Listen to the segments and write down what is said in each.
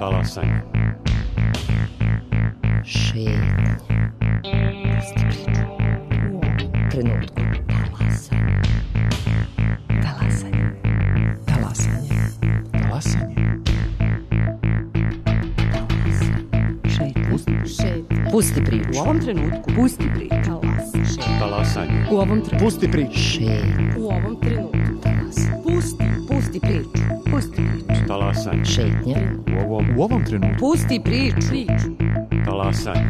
Talasanje. Šetnja. Pusti priču. U ovom trenutku. Talasanje. Talasanje. Talasanje. Šetnja. Pusti priču. U ovom trenutku. Pusti priču. Talasanje. U ovom trenutku. Pusti priču. Šetnja. U ovom trenutku. Pusti priču. Pusti priču. Talasanje. Šetnja. U ovom trenutku. Pusti priču. Talasanje.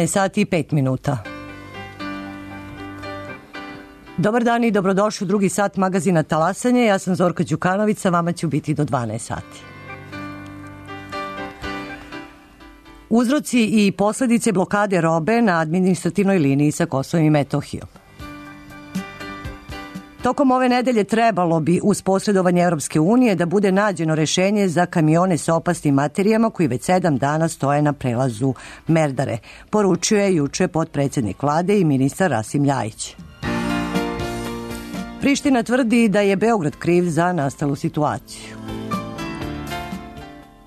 Sati i 5 minuta. Dobar dan i dobrodošli u drugi sat magazina Talasanje. Ja sam Zorka Đukanović, sa vama ću biti do 12 sati. Uzroci i posledice blokade robe na administrativnoj liniji sa Kosovom i Metohijom. Tokom ove nedelje trebalo bi uz posredovanje Europske unije da bude nađeno rešenje za kamione sa opasnim materijama koji već 7 dana stoje na prelazu Merdare, poručio je juče potpredsednik vlade i ministar Rasim Ljajić. Priština tvrdi da je Beograd kriv za nastalu situaciju.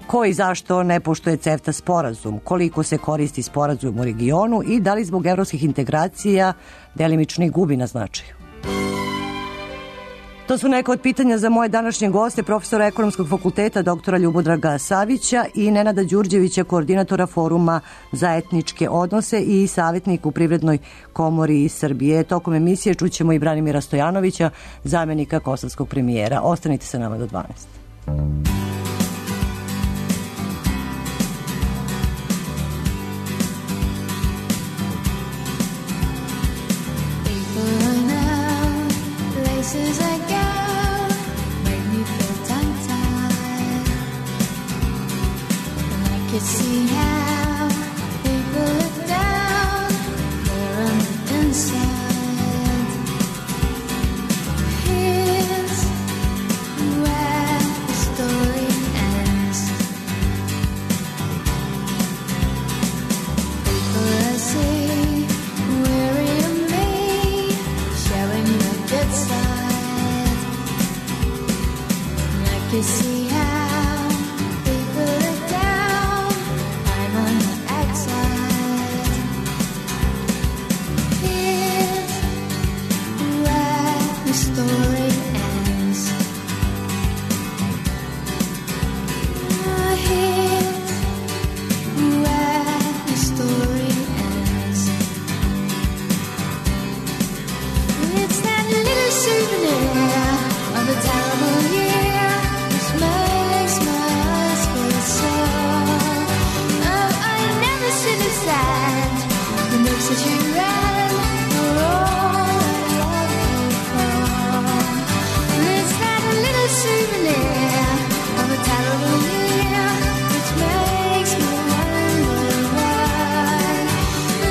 Ko i zašto ne poštuje CEFTA sporazum, koliko se koristi sporazum u regionu i da li zbog evropskih integracija delimično i gubi na značaju. To su neka od pitanja za moje današnje goste, profesora Ekonomskog fakulteta doktora Ljubodraga Savića i Nenada Đurđevića, koordinatora Foruma za etničke odnose i savjetnik u Privrednoj komori Srbije. Tokom emisije čućemo i Branimira Stojanovića, zamenika kosovskog premijera. Ostanite sa nama do 12. See how people look down there on the inside. Here's where the story ends. People I see weary of me, showing the good side. And I can see how story ends. Here's where the story ends. It's that little souvenir of a terrible year which makes my eyes feel sore. Oh, I never see the sand that makes it you red for all. Souvenir of a terrible year, which makes me wonder why.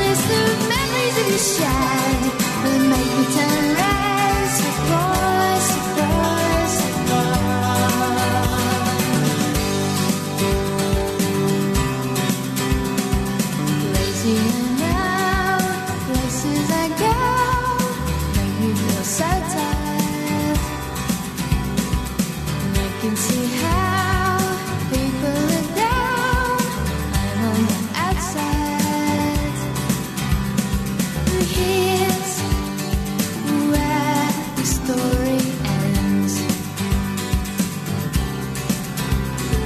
It's the memories of your shine that make me turn red. Surprise, surprise, surprise. Lazy and out, places I go make me feel so tired. I can see how people look down. I'm on the outside. Here's where the story ends.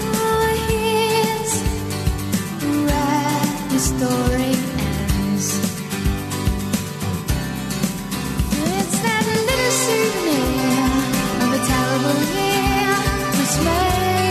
Oh, here's where the story ends. It's that little souvenir of a terrible year. Makes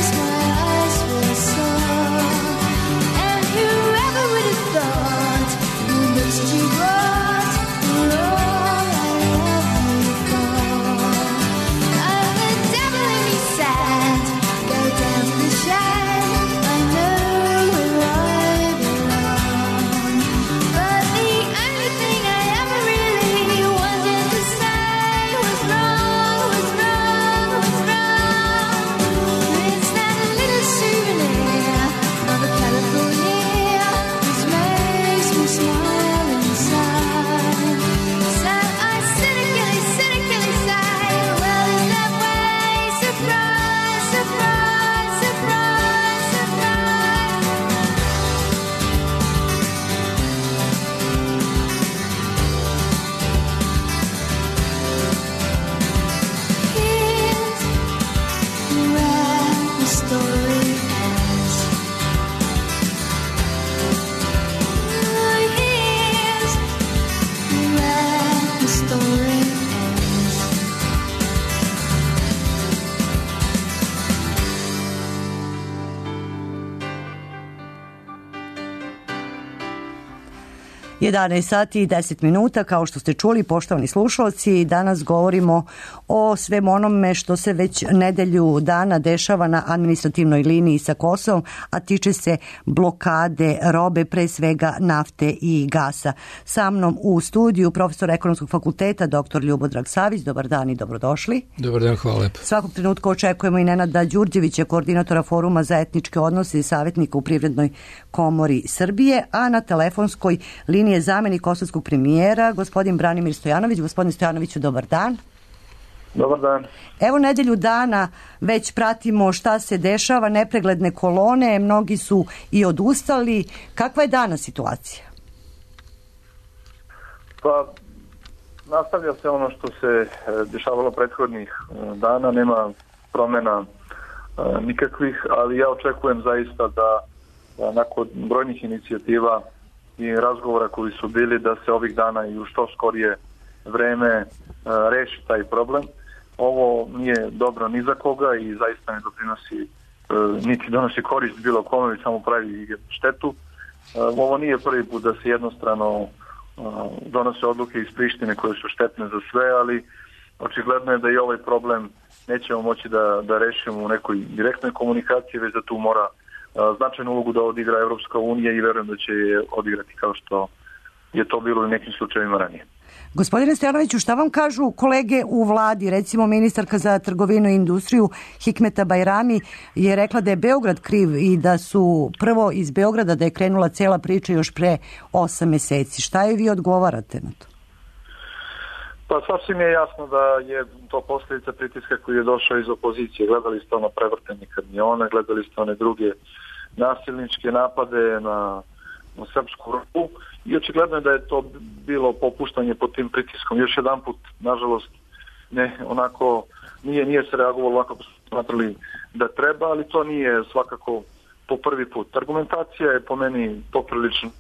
11 sati i 10 minuta, kao što ste čuli, poštovani slušalci, danas govorimo o svem onome što se već nedelju dana dešava na administrativnoj liniji sa Kosovom, a tiče se blokade robe, pre svega nafte i gasa. Sa mnom u studiju profesor Ekonomskog fakulteta, dr. Ljubodrag Savić. Dobar dan i dobrodošli. Dobar dan, hvala lepo. Svakog trenutka očekujemo i Nenada Đurđevića, koordinatora Foruma za etničke odnose i savjetnika u Privrednoj komori Srbije, a na telefonskoj liniji je zamenik kosovskog premijera, gospodin Branimir Stojanović. Gospodin Stojanoviću, dobar dan. Dobar dan. Evo nedelju dana već pratimo šta se dešava, nepregledne kolone, mnogi su i odustali. Kakva je danas situacija? Pa, nastavlja se ono što se dešavalo prethodnih dana, nema promjena nikakvih, ali ja očekujem zaista da nakon brojnih inicijativa i razgovora koji su bili, da se ovih dana i u što skorije vreme reši taj problem. Ovo nije dobro ni za koga i zaista ne doprinosi, niti donosi korist bilo kome, već samo pravi štetu. Ovo nije prvi put da se jednostrano donose odluke iz Prištine koje su štetne za sve, ali očigledno je da i ovaj problem nećemo moći da rešimo u nekoj direktnoj komunikaciji, već da tu mora značajnu ulogu da odigra Evropska unija i verujem da će je odigrati kao što je to bilo u nekim slučajevima ranije. Gospodine Stojanoviću, šta vam kažu kolege u vladi? Recimo ministarka za trgovinu i industriju Hikmeta Bajrami je rekla da je Beograd kriv i da su prvo iz Beograda da je krenula cela priča još pre 8 meseci. Šta je vi odgovarate na to? Pa sasvim je jasno da je to posljedica pritiska koji je došao iz opozicije. Gledali ste ono prevrtenje kamiona, gledali ste one druge nasilničke napade na srpsku robu i očigledno je da je to bilo popuštanje pod tim pritiskom. Još jedan put, nažalost, nije se reagovalo ovako kako su smatrali da treba, ali to nije svakako po prvi put. Argumentacija je po meni poprilično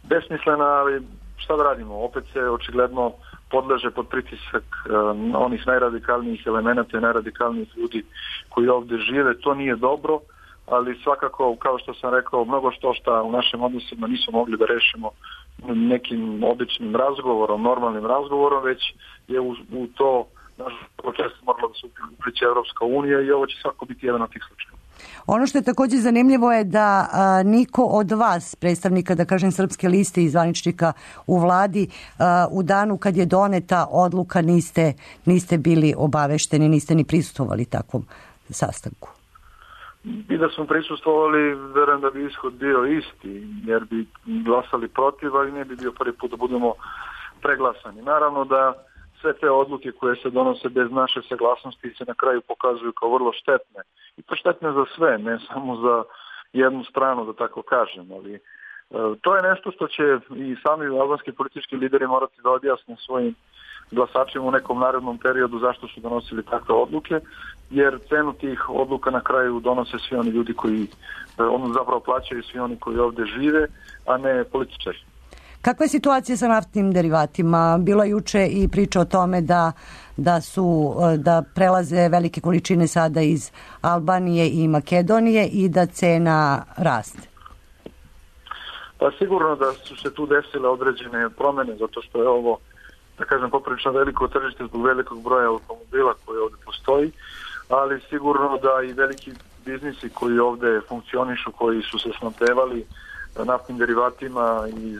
besmislena, ali šta da radimo? Opet se očigledno podleže pod pritisak onih najradikalnijih elemenata i najradikalnijih ljudi koji ovdje žive. To nije dobro, ali svakako, kao što sam rekao, mnogo što u našim odnosima nisu mogli da rešimo nekim običnim razgovorom, normalnim razgovorom, već je u to često morala da se upliče Evropska unija i ovo će svako biti jedan od tih slučajeva. Ono što je također zanimljivo je da niko od vas, predstavnika, da kažem, Srpske liste i zvaničnika u vladi, u danu kad je doneta odluka niste bili obavešteni, niste ni prisustvovali takvom sastanku. I da smo prisustvovali, verujem da bi ishod bio isti, jer bi glasali protiv, ali ne bi bio prvi put da budemo preglasani. Naravno da sve te odluke koje se donose bez naše saglasnosti se na kraju pokazuju kao vrlo štetne. I to štetne za sve, ne samo za jednu stranu, da tako kažem. Ali to je nešto što će i sami albanski politički lideri morati da objasne svojim glasačima u nekom narednom periodu zašto su donosili takve odluke, jer cenu tih odluka na kraju donose svi oni ljudi koji zapravo plaćaju, svi oni koji ovdje žive, a ne političari. Kakva je situacija sa naftnim derivatima? Bilo je juče i priča o tome da prelaze velike količine sada iz Albanije i Makedonije i da cena raste. Pa sigurno da su se tu desile određene promjene, zato što je ovo, da kažem, poprilično veliko tržište zbog velikog broja automobila koji ovdje postoji, ali sigurno da i veliki biznisi koji ovdje funkcionišu, koji su se snabdevali naftnim derivatima iz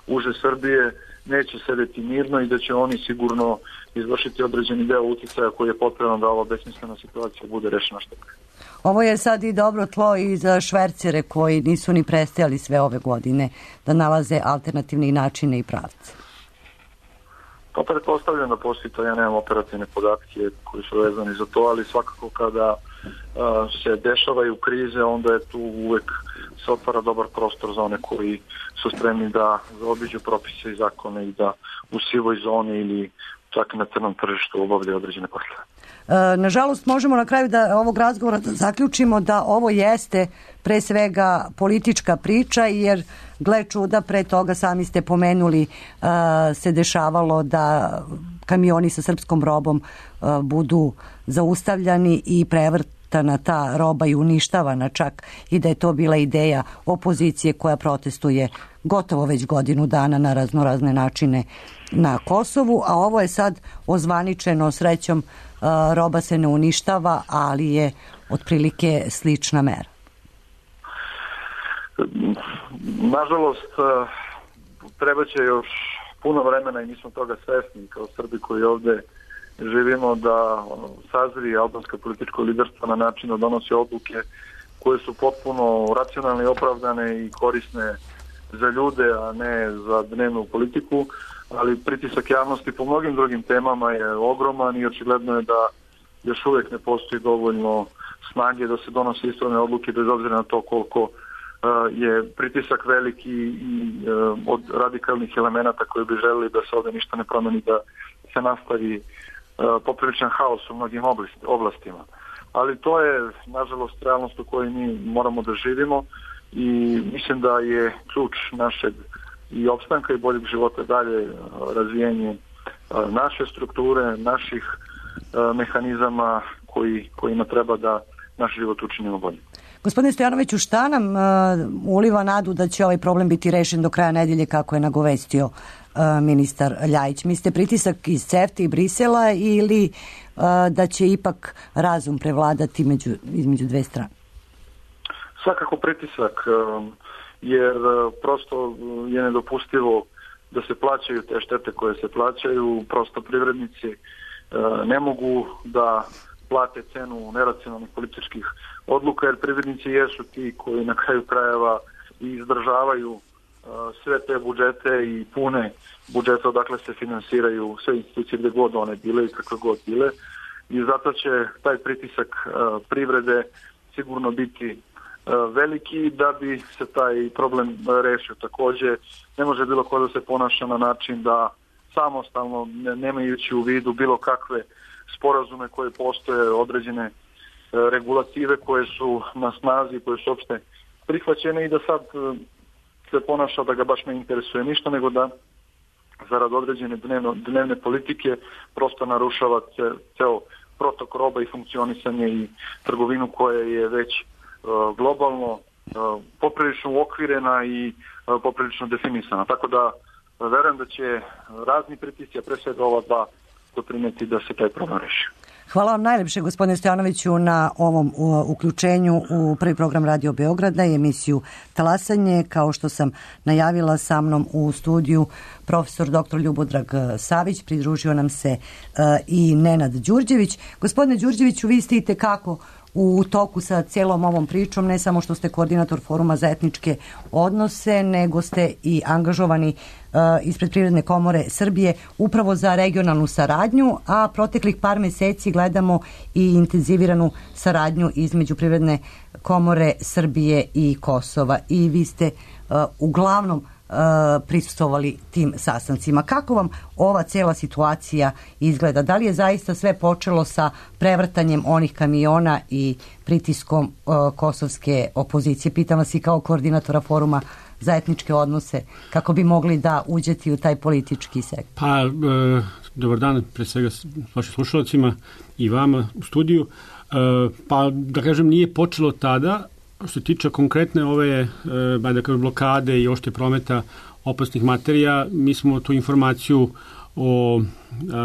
uže Srbije, neće sedeti mirno i da će oni sigurno izvršiti određeni deo utjecaja koji je potrebno da ova besmislena situacija bude rešena što pre. Ovo je sad i dobro tlo i za švercere koji nisu ni prestajali sve ove godine da nalaze alternativne načine i pravce. Pa pretpostavljam da postoji to, ja nemam operativne podatke koji su vezani za to, ali svakako kada se dešavaju krize, onda je tu uvek se otvara dobar prostor za one koji su spremni da zaobiđu propise i zakone i da u sivoj zoni ili čak na crnom tržištu obavljaju određene poslove. Nažalost, možemo na kraju ovog razgovora da zaključimo da ovo jeste pre svega politička priča, jer gle čuda, pre toga sami ste pomenuli, se dešavalo da kamioni sa srpskom robom budu zaustavljani i prevrtani iskorištana ta roba i uništavana čak i da je to bila ideja opozicije koja protestuje gotovo već godinu dana na raznorazne načine na Kosovu, a ovo je sad ozvaničeno, srećom roba se ne uništava, ali je otprilike slična mera. Nažalost, treba će još puno vremena i mi smo toga svesni kao Srbi koji ovde živimo da sazri albansko političko liderstvo na način da donosi odluke koje su potpuno racionalne i opravdane i korisne za ljude, a ne za dnevnu politiku, ali pritisak javnosti po mnogim drugim temama je ogroman i očigledno je da još uvijek ne postoji dovoljno snage da se donose ispravne odluke bez obzira na to koliko je pritisak veliki i od radikalnih elemenata koji bi želeli da se ovdje ništa ne promeni, da se nastavi popriličan haos u mnogim oblastima. Ali to je, nažalost, realnost u kojoj mi moramo da živimo i mislim da je ključ našeg i opstanka i boljeg života dalje razvijenje naše strukture, naših mehanizama kojima treba da naš život učinimo bolje. Gospodine Stojanoviću, šta nam uliva nadu da će ovaj problem biti rešen do kraja nedelje kako je nagovestio ministar Ljajić? Mislite pritisak iz CEFTA i Brisela ili da će ipak razum prevladati između dve strane? Svakako pritisak, jer prosto je nedopustivo da se plaćaju te štete koje se plaćaju. Prosto privrednici ne mogu da plate cenu neracionalnih političkih odluka, jer privrednici jesu ti koji na kraju krajeva i izdržavaju sve te budžete i pune budžete odakle se finansiraju sve institucije gde god one bile i kakve god bile. I zato će taj pritisak privrede sigurno biti veliki da bi se taj problem rešio. Takođe, ne može bilo ko da se ponaša na način da samostalno, nemajući u vidu bilo kakve sporazume koje postoje, određene regulative koje su na snazi, koje su opšte prihvaćene i da sad se ponaša da ga baš ne interesuje ništa, nego da zarad određene dnevne politike prosto narušava ceo protok roba i funkcionisanje i trgovinu koja je već globalno poprilično uokvirena i poprilično definisana. Tako da verujem da će razni pritisci, a pre svega ova dva, doprineti da se taj problem reši. Hvala vam najlepše, gospodine Stojanoviću, na ovom uključenju u prvi program Radio Beograda i emisiju Talasanje. Kao što sam najavila, sa mnom u studiju profesor dr. Ljubodrag Savić, pridružio nam se i Nenad Đurđević. Gospodine Đurđeviću, vi ste itekako u toku sa cijelom ovom pričom, ne samo što ste koordinator Foruma za etničke odnose, nego ste i angažovani ispred Privredne komore Srbije upravo za regionalnu saradnju, a proteklih par meseci gledamo i intenziviranu saradnju između Privredne komore Srbije i Kosova. I vi ste uglavnom prisustvovali tim sastancima. Kako vam ova cijela situacija izgleda? Da li je zaista sve počelo sa prevrtanjem onih kamiona i pritiskom kosovske opozicije? Pitam vas i kao koordinatora Foruma za etničke odnose, kako bi mogli da uđete u taj politički sektor. Pa, dobar dan pre svega vašim slušalcima i vama u studiju. Pa, da kažem, nije počelo tada. Što se tiče konkretne ove blokade i ošte prometa opasnih materija, mi smo tu informaciju o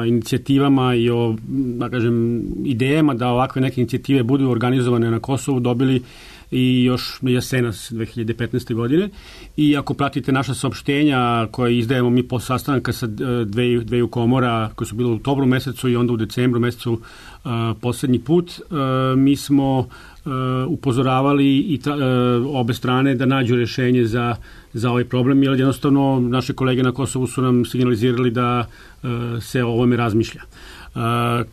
inicijativama i o, da kažem, idejama da ovakve neke inicijative budu organizovane na Kosovu dobili i još jesenas 2015. godine. I ako pratite naša saopštenja koje izdajemo mi po sastanaka sa dveju komora koje su bile u oktobru mesecu i onda u decembru mesecu poslednji put, mi smo upozoravali i obe strane da nađu rešenje za ovaj problem, jer jednostavno naše kolege na Kosovu su nam signalizirali da se o ovome razmišlja.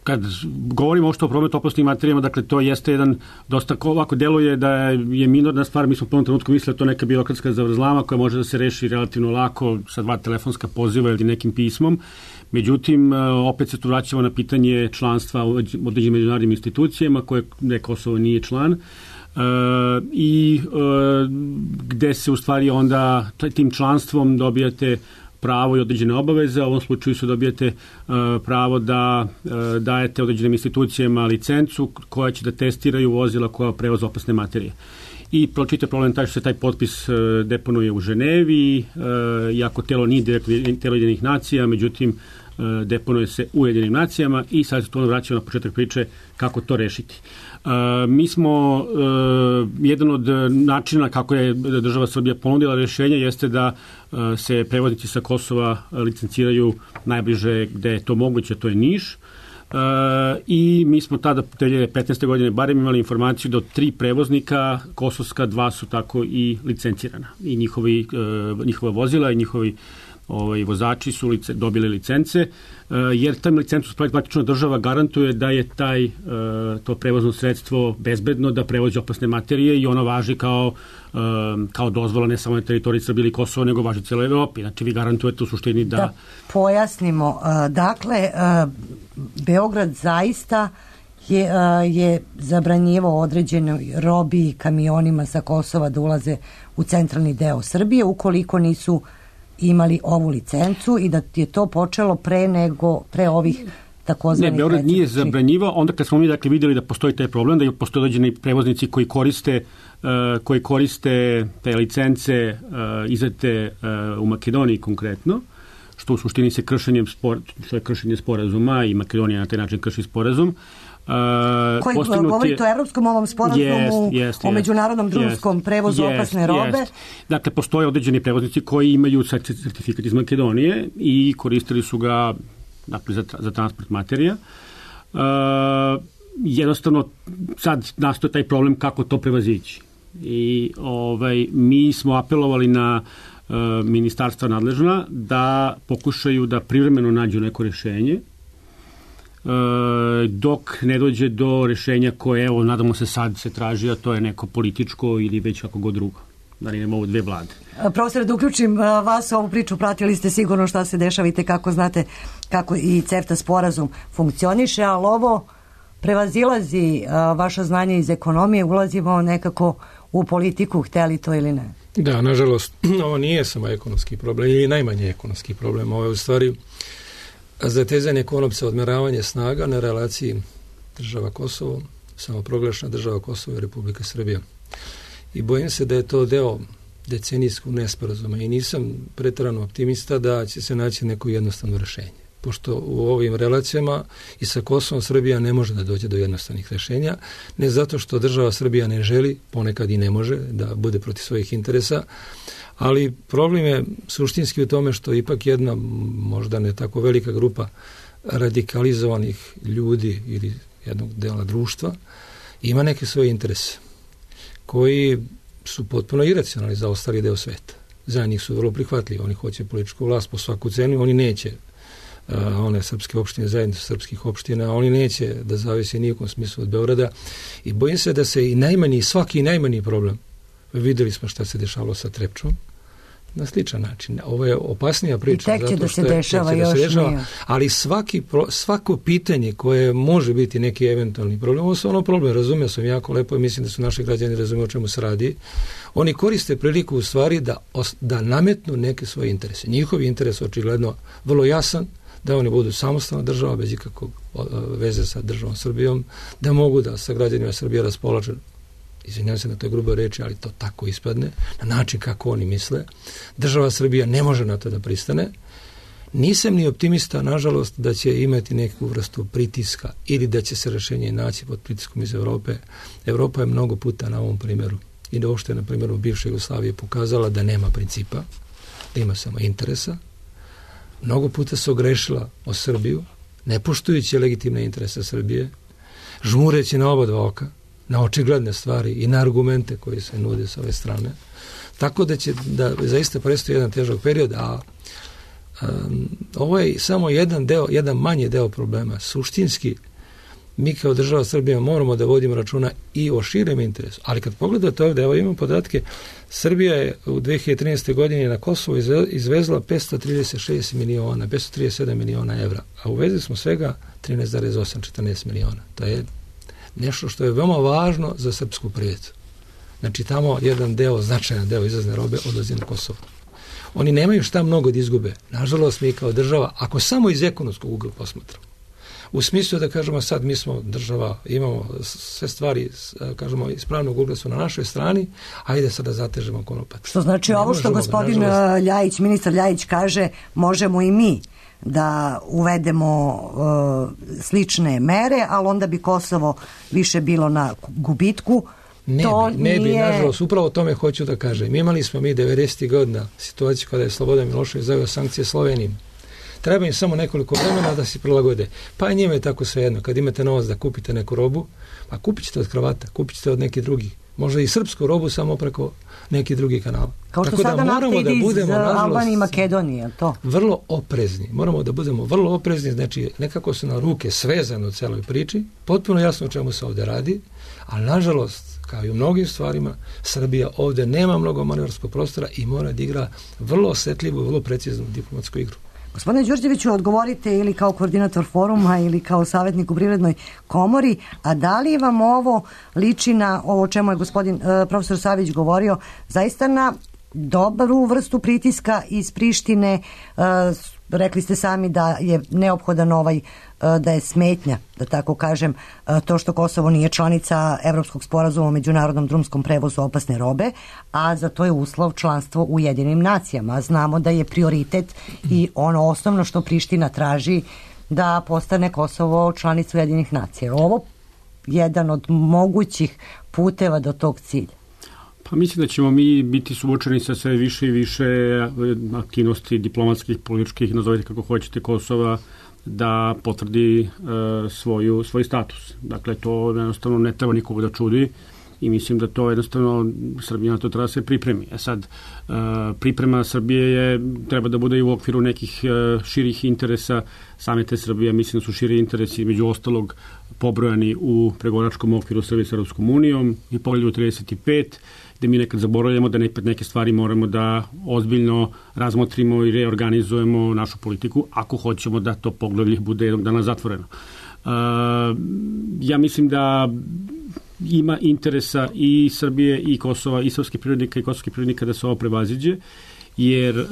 Kad govorimo o prometu opasnim materijama, dakle to jeste jedan dosta ovako deluje da je minorna stvar. Mi smo u prvom trenutku mislili da to neka birokratska zavrzlama koja može da se reši relativno lako sa 2 telefonska poziva ili nekim pismom. Međutim, opet se tu vraćamo na pitanje članstva u određenim međunarodnim institucijama koje Kosovo nije član i gde se u stvari onda tim članstvom dobijate pravo i određene obaveze. U ovom slučaju se dobijete pravo da dajete određenim institucijama licencu koja će da testiraju vozila koja prevoze opasne materije. I pročite problem taj što se taj potpis deponuje u Ženevi, iako telo nije telo Ujedinjenih nacija, međutim deponuje se u Ujedinjenim nacijama i sad se to vraćamo na početak priče kako to rešiti. Mi smo, jedan od načina kako je država Srbija ponudila rješenje jeste da se prevoznici sa Kosova licenciraju najbliže gde je to moguće, to je Niš. I mi smo tada 2015. godine barem imali informaciju da od 3 prevoznika kosovska 2 su tako i licencirana i njihova vozila i njihovi vozači su dobili licence, jer tam licencu praktično država garantuje da je to prevozno sredstvo bezbedno, da prevozi opasne materije i ono važi kao dozvola ne samo na teritoriji Srbije ili Kosova, nego važi cijeloj Evropi. Znači vi garantujete u suštini da pojasnimo. Dakle, Beograd zaista je zabranjivao određenoj robi i kamionima sa Kosova da ulaze u centralni deo Srbije ukoliko nisu imali ovu licencu i da je to počelo pre ovih takozvanih... Ne, Beograd nije zabranjivao, onda kad smo mi vidjeli da postoji taj problem, da postoje određeni prevoznici koji koriste te licence izdate u Makedoniji konkretno, što u suštini se kršenje sporazuma i Makedonija na taj način krši sporazum. Koji govorite o evropskom ovom sporazumu o međunarodnom drumskom prevozu opasne robe? Dakle, postoje određeni prevoznici koji imaju certifikat iz Makedonije i koristili su ga za transport materija. Jednostavno, sad nastoje taj problem kako to prevazići. I mi smo apelovali na ministarstva nadležna da pokušaju da privremeno nađu neko rješenje dok ne dođe do rješenja koje, nadamo se sad se traži, a to je neko političko ili već kako god drugo. Da li nema ovo 2 vlade. Profesore, da uključim vas u ovu priču, pratili ste sigurno šta se dešava i kako znate kako i CEFTA sporazum funkcioniše, ali ovo prevazilazi vaša znanja iz ekonomije, ulazimo nekako u politiku, hteli to ili ne? Da, nažalost, ovo nije samo ekonomski problem, ili najmanje ekonomski problem, ovo je u stvari zatezanje konopca, odmeravanje snaga na relaciji država Kosovo, samoproglašena država Kosovo i Republika Srbija. I bojim se da je to deo decenijskog nesporazuma i nisam preterano optimista da će se naći neko jednostavno rješenje. Pošto u ovim relacijama i sa Kosovom Srbija ne može da dođe do jednostavnih rješenja, ne zato što država Srbija ne želi, ponekad i ne može da bude protiv svojih interesa, ali problem je suštinski u tome što ipak jedna, možda ne tako velika grupa radikalizovanih ljudi ili jednog dela društva ima neke svoje interese koji su potpuno iracionalni za ostali deo sveta. Za njih su vrlo prihvatljivi, oni hoće političku vlast po svaku cenu, oni neće one srpske opštine, zajednice srpskih opština, oni neće da zavise nijekom smislu od Beograda i bojim se da se i svaki najmanji problem, videli smo šta se dešavalo sa Trepčom, na sličan način. Ovo je opasnija priča. I tek će da se dešava još nije. Ali svako pitanje koje može biti neki eventualni problem, ovo je ono problem, razumio sam jako lepo i mislim da su naši građani razumiju o čemu se radi. Oni koriste priliku u stvari da nametnu neke svoje interese. Njihovi interes očigledno vrlo jasan, da oni budu samostalna država bez ikakvog veze sa državom Srbijom, da mogu da sa građanima Srbije raspolažu, izvinjam se na toj gruboj reči, ali to tako ispadne, na način kako oni misle. Država Srbija ne može na to da pristane. Nisam ni optimista, nažalost, da će imati neku vrstu pritiska ili da će se rješenje naći pod pritiskom iz Evrope. Evropa je mnogo puta na ovom primjeru i da uopšte na primjeru bivše Jugoslavije pokazala da nema principa, da ima samo interesa. Mnogo puta se ogrešila o Srbiju, ne poštujući legitimne interese Srbije, žmureći na oba dva oka, na očigledne stvari i na argumente koji se nude s ove strane. Tako da će zaista predstoji jedan težak period, a ovo je samo jedan manji deo problema. Suštinski, mi kao država Srbija moramo da vodimo računa i o širem interesu. Ali kad pogledate ovdje, evo imam podatke, Srbija je u 2013. godini na Kosovo izvezla 537 miliona evra, a uvezli smo svega 13,8-14 miliona. To je nešto što je veoma važno za srpsku privredu. Znači tamo jedan značajan deo izvozne robe odlazi na Kosovo. Oni nemaju šta mnogo da izgube. Nažalost, mi kao država, ako samo iz ekonomskog ugla posmatramo, u smislu da kažemo sad mi smo država, imamo sve stvari, kažemo iz pravnog ugla su na našoj strani, ajde sad da zatežemo konopac. Što znači ovo što gospodin Ljajić, ministar Ljajić kaže, možemo i mi da uvedemo slične mere, ali onda bi Kosovo više bilo na gubitku. Ne bi, nažalost, upravo o tome hoću da kažem. Imali smo mi 90. godina situaciju kada je Slobodan Milošević zaveo sankcije Sloveniji. Treba im samo nekoliko vremena da se prilagode. Pa njima je tako svejedno. Kad imate novac da kupite neku robu, pa kupit ćete od Hrvata, kupit ćete od nekih drugih. Možda i srpsku robu samo preko nekih drugih kanala. Kao što tako sada nafta ide iz Albanije i Makedonije, to? Vrlo oprezni. Moramo da budemo vrlo oprezni, znači nekako su na ruke svezane u celoj priči, potpuno jasno o čemu se ovde radi, ali nažalost, kao i u mnogim stvarima, Srbija ovde nema mnogo manevarskog prostora i mora da igra vrlo osetljivu i vrlo preciznu diplomatsku igru. Gospodine Đurđeviću, odgovorite ili kao koordinator foruma ili kao savjetnik u Privrednoj komori, a da li vam ovo liči na ovo o čemu je gospodin profesor Savić govorio, zaista na dobru vrstu pritiska iz Prištine? Rekli ste sami da je neophodan da je smetnja, da tako kažem, to što Kosovo nije članica Evropskog sporazuma o međunarodnom drumskom prevozu opasne robe, a za to je uslov članstvo u Ujedinim nacijama. Znamo da je prioritet i ono osnovno što Priština traži da postane Kosovo članica Ujedinih nacija. Ovo jedan od mogućih puteva do tog cilja. Pa mislim da ćemo mi biti suočeni sa sve više i više aktivnosti diplomatskih, političkih, nazovite kako hoćete, Kosova da potvrdi svoj status. Dakle, to jednostavno ne treba nikoga da čudi i mislim da to jednostavno Srbija na to treba da se pripremi. Sad, priprema Srbije treba da bude i u okviru nekih širih interesa same te Srbije. Mislim da su širi interesi među ostalog pobrojani u pregovaračkom okviru Srbije s Europskom unijom i pogledu 35, gde mi nekad zaboravljamo da neke stvari moramo da ozbiljno razmotrimo i reorganizujemo našu politiku ako hoćemo da to poglavlje bude jednog dana zatvoreno. Ja mislim da ima interesa i Srbije i Kosova i srpskih privrednika i kosovskih privrednika da se ovo prevaziđe, jer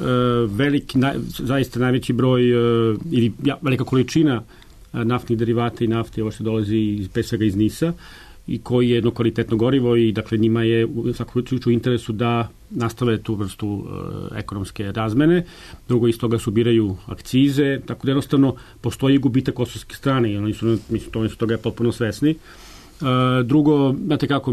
zaista najveći broj ili velika količina naftnih derivata i nafte, ovo što dolazi pre svega iz Nisa, i koji je jedno kvalitetno gorivo i dakle njima je u svakom slučaju u interesu da nastave tu vrstu ekonomske razmene. Drugo, iz toga se ubiraju akcize, tako da jednostavno postoji gubitak kosovske strane i oni su toga potpuno svesni. Drugo, znate kako,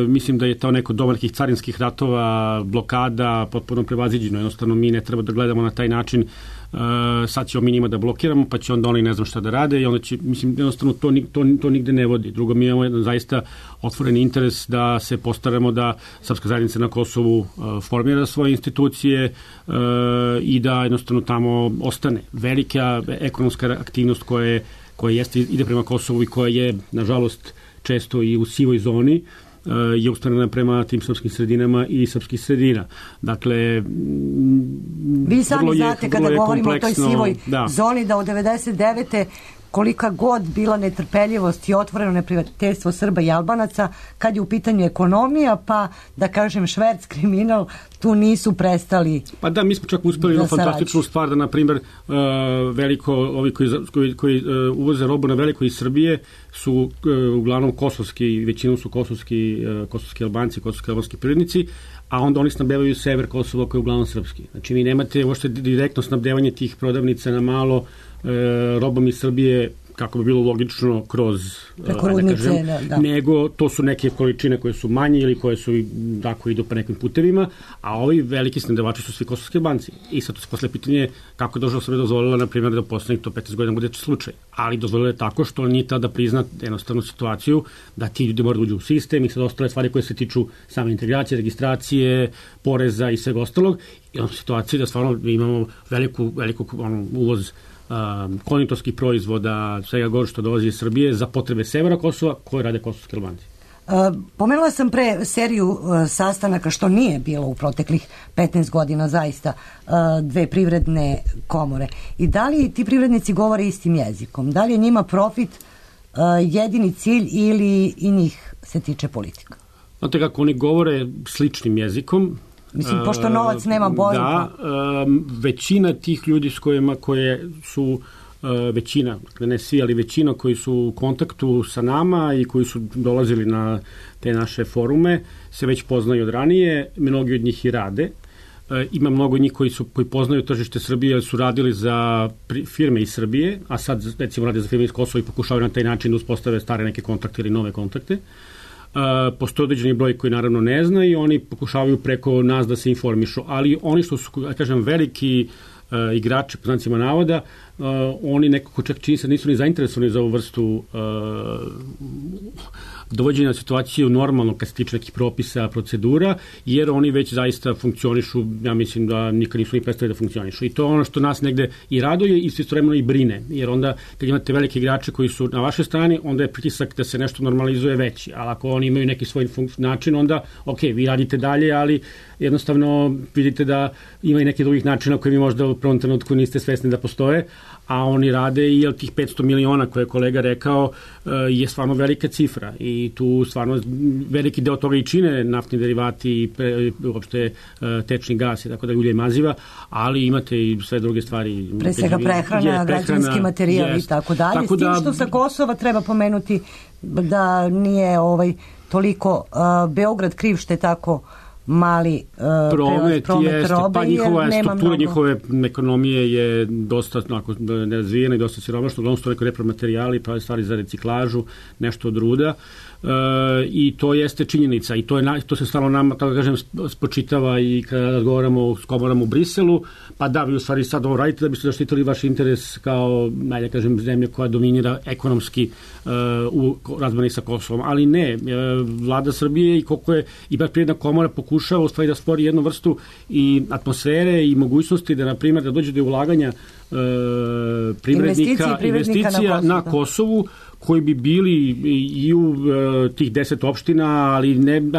mislim da je to neko doba nekih carinskih ratova, blokada, potpuno prevaziđeno. Jednostavno mi ne treba da gledamo na taj način, sad ćemo mi njima da blokiramo, pa će onda oni ne znam šta da rade i onda će, mislim, jednostavno to nigde ne vodi. Drugo, mi imamo jedan zaista otvoreni interes da se postaramo da srpska zajednica na Kosovu formira svoje institucije i da jednostavno tamo ostane. Velika ekonomska aktivnost koja ide prema Kosovu i koja je, nažalost, često i u sivoj zoni, je usmerena prema tim srpskim sredinama i srpskih sredina. Dakle, vi sami znate kada govorimo o toj sivoj zoni da od 99. kolika god bila netrpeljivost i otvoreno neprijateljstvo Srba i Albanaca, kad je u pitanju ekonomija, pa da kažem šverc, kriminal, tu nisu prestali. Pa da, mi smo čak uspeli jednu fantastičnu stvar da, na primjer, ovi koji uvoze robu na veliko iz Srbije su uglavnom kosovski, većinom su kosovski Albanci, kosovski albanski privrednici, a onda oni snabdevaju sever Kosova koji je uglavnom srpski. Znači vi nemate uopšte direktno snabdevanje tih prodavnica na malo robom iz Srbije, kako bi bilo logično kroz nego to su neke količine koje su manje ili koje su tako idu po nekim putevima, a ovi veliki snabdevači su svi kosovski Albanci. I sad to se posle pitanje kako je država Srbija dozvolila, na primjer, da poslednjih to 15 godina bude slučaj. Ali dozvolila je tako što nije tada prizna jednostavnu situaciju da ti ljudi moraju uđu u sistem i sad ostale stvari koje se tiču same integracije, registracije, poreza i svega ostalog. I onda situaciju da stvarno imamo veliku uvoz konditorskih proizvoda, svega gore što dolazi iz Srbije za potrebe severa Kosova koje rade kosovski Albanci. Pomenula sam pre seriju sastanaka što nije bilo u proteklih 15 godina zaista dve privredne komore. I da li ti privrednici govore istim jezikom? Da li je njima profit jedini cilj ili i njih se tiče politika? Znate kako, oni govore sličnim jezikom, Mislim, pošto novac nema boju. Da, većina tih ljudi s kojima koje su većina, ne svi, ali većina koji su u kontaktu sa nama i koji su dolazili na te naše forume se već poznaju od ranije, mnogi od njih i rade. Ima mnogo njih koji poznaju tržište Srbije, jer su radili za firme iz Srbije, a sad recimo rade za firme iz Kosova i pokušavaju na taj način da uspostave stare neke kontakte ili nove kontakte. Postoje određeni broj koji naravno ne zna i oni pokušavaju preko nas da se informišu, ali oni što su, kažem, veliki igrači, po znacima navoda, oni nekako čak čini se nisu ni zainteresovani za ovu vrstu dovođenja situaciju normalno kad se tiče nekih propisa, procedura, jer oni već zaista funkcionišu, ja mislim da nikad nisu ni predstavili da funkcionišu. I to je ono što nas negde i raduje i istovremeno i brine, jer onda kad imate velike igrače koji su na vašoj strani, onda je pritisak da se nešto normalizuje veći, ali ako oni imaju neki svoj način, onda ok, vi radite dalje, ali jednostavno vidite da ima i nekih drugih načina koji vi možda u prvom trenutku niste svesni da postoje, a oni rade i tih 500 miliona koje je kolega rekao je stvarno velika cifra i tu stvarno veliki deo toga i čine naftni derivati i uopšte tečni gas i tako da ulje i maziva, ali imate i sve druge stvari. Pre svega prehrana, građevinski materijal i tako dalje. S tim što sa Kosova treba pomenuti da nije toliko Beograd kriv što je tako mali promet robe, pa njihova struktura njihove ekonomije je dosta nerazvijena i dosta siromašna, uglavnom su to neko repromaterijali, prave stvari za reciklažu, nešto od ruda, i to jeste činjenica i to se stalno nama, tako da kažem, spočitava i kada razgovaramo s komorom u Briselu, pa da, vi u stvari sad ovo radite da biste zaštitili vaš interes kao, najde kažem, zemlja koja dominira ekonomski u razmeni sa Kosovom, ali ne, vlada Srbije i koliko je i bar Privredna komora pokušava u stvari da stvori jednu vrstu i atmosfere i mogućnosti da, na primjer, da dođe do ulaganja investicija na Kosovu, koji bi bili i u tih 10 opština, ali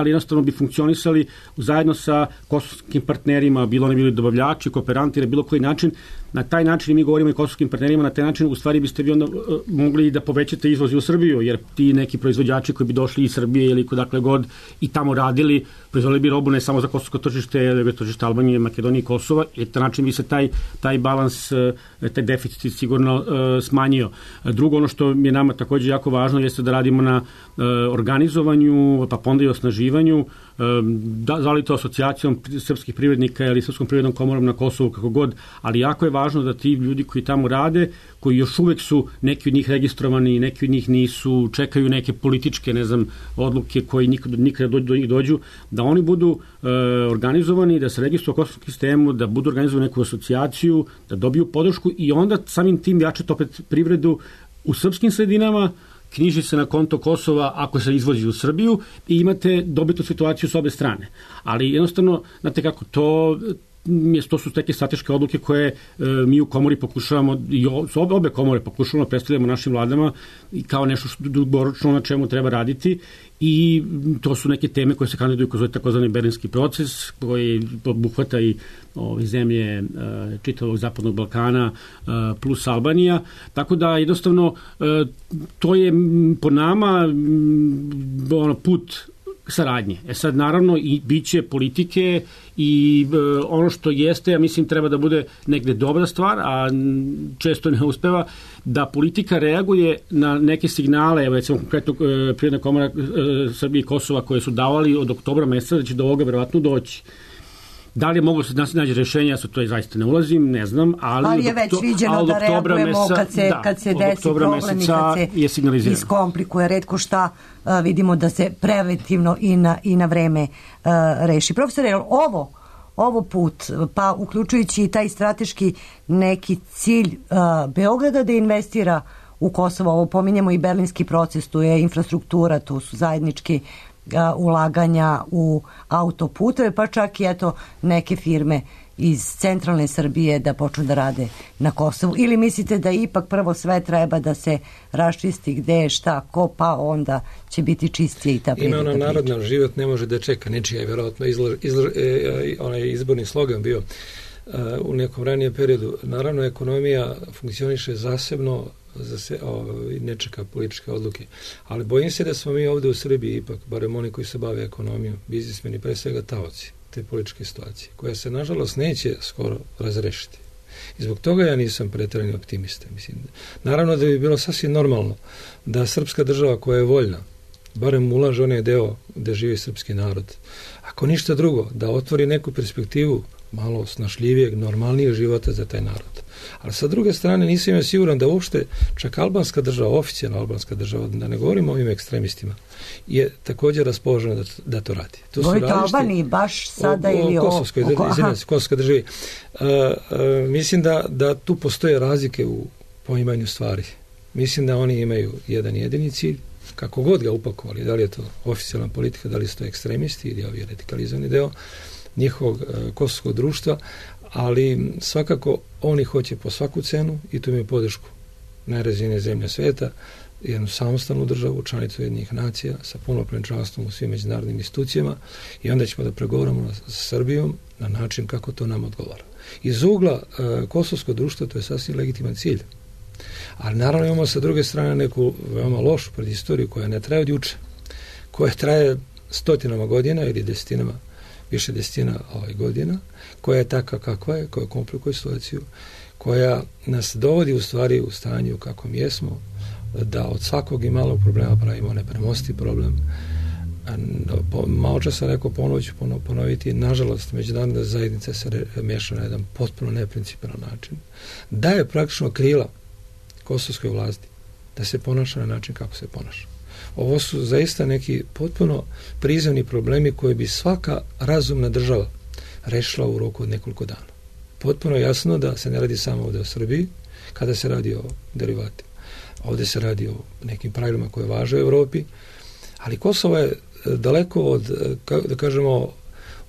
jednostavno bi funkcionisali zajedno sa kosovskim partnerima, bilo oni bili dobavljači, kooperanti, bilo koji način. Na taj način, mi govorimo i kosovskim partnerima, na taj način u stvari biste vi onda mogli da povećate izvoz u Srbiju, jer ti neki proizvođači koji bi došli iz Srbije ili kodakle god i tamo radili, proizvodili bi robu ne samo za kosovsko tržište, nego tržište Albanije, Makedonije i Kosova, i na taj način bi se taj balans, taj deficit sigurno smanjio. Drugo, ono što je nama takođe jako važno jeste da radimo na organizovanju, pa onda i osnaživanju, da li to asocijacijom srpskih privrednika ili Srpskom privrednom komorom na Kosovu, kako god, ali jako je važno da ti ljudi koji tamo rade, koji još uvek su neki od njih registrovani, neki od njih nisu, čekaju neke političke, odluke koji nikada do njih dođu, da oni budu organizovani, da se registruju u kosovskom sistemu, da budu organizovani neku asocijaciju, da dobiju podršku i onda samim tim jačati opet privredu u srpskim sredinama, knjiži se na konto Kosova ako se izvozi u Srbiju i imate dobitnu situaciju s obe strane. Ali jednostavno, znate kako, to su neke strateške odluke koje mi u komori pokušavamo, i obe komore pokušavamo da predstavljamo našim vladama i kao nešto što dugoročno na čemu treba raditi, i to su neke teme koje se kandiduju kroz takozvani Berlinski proces koji obuhvata i zemlje čitavog Zapadnog Balkana plus Albanija, tako da jednostavno to je po nama put saradnje. Sad naravno i biće politike i ono što jeste, ja mislim, treba da bude negde dobra stvar, a često ne uspeva, da politika reaguje na neke signale, evo recimo konkretno Privredna komora Srbije i Kosova koje su davali od oktobra meseca da će do ovoga verovatno doći. Da li je moglo se naći rešenja, ja to zaista ne ulazim, ne znam, ali je već viđeno da reagujemo kad se desi problem i kad se iskomplikuje retko šta, vidimo da se preventivno i na vreme reši. Profesore, ovo put, pa uključujući i taj strateški neki cilj Beograda da investira u Kosovo, ovo pominjemo i Berlinski proces, tu je infrastruktura, tu su zajednički ulaganja u autoputeve, pa čak i neke firme iz centralne Srbije da počnu da rade na Kosovu. Ili mislite da ipak prvo sve treba da se raščisti gde je šta, ko, pa onda će biti čistije i ta privreda. Ima narodna, život ne može da čeka, nečija je vjerojatno onaj izborni slogan bio u nekom ranijem periodu. Naravno, ekonomija funkcioniše zasebno, ne čeka političke odluke. Ali bojim se da smo mi ovde u Srbiji ipak, barem oni koji se bave ekonomijom, biznismeni, pre svega taoci. te političke situacije, koja se nažalost neće skoro razrešiti. I zbog toga ja nisam pretjerani optimista. Mislim, naravno da bi bilo sasvim normalno da srpska država koja je voljna, barem ulaže onaj deo gde živi srpski narod, ako ništa drugo, da otvori neku perspektivu malo snašljivijeg, normalnijeg života za taj narod. Ali sa druge strane nisam ja siguran da uopšte čak albanska država, oficijalna albanska država, da ne govorimo o ovim ekstremistima, je također raspoložena da to radi. Govorite o Albaniji baš sada ili o Kosovskoj državi. Mislim da tu postoje razlike u poimanju stvari. Mislim da oni imaju jedan jedini cilj, kako god ga upakovali, da li je to oficijalna politika, da li su to ekstremisti ili ovi radikalizovani deo njihovog kosovskog društva, ali svakako oni hoće po svaku cenu i tu imaju podršku najrazvijenije zemlje sveta, jednu samostalnu državu, članicu Ujedinjenih nacija sa punopravnim članstvom u svim međunarodnim institucijama i onda ćemo da pregovaramo sa Srbijom na način kako to nam odgovara. Iz ugla kosovskog društva to je sasvim legitiman cilj. Ali naravno imamo sa druge strane neku veoma lošu predistoriju koja ne traje od juče, koja traje stotinama godina ili desetinama, više desetina godina, koja je takva kakva je, koja komplikuje situaciju, koja nas dovodi u stvari u stanju kako mi jesmo, da od svakog i malog problema pravimo nepremosti problem. Malo čas sam rekao, ponovo ću ponoviti, nažalost, međunarodna zajednica se meša na jedan potpuno neprincipijelan način. Daje praktično krila kosovskoj vlasti da se ponaša na način kako se ponaša. Ovo su zaista neki potpuno prizemni problemi koje bi svaka razumna država rešila u roku od nekoliko dana. Potpuno jasno da se ne radi samo ovdje o Srbiji, kada se radi o derivatima. Ovdje se radi o nekim pravilima koje važe u Evropi, ali Kosovo je daleko od, da kažemo,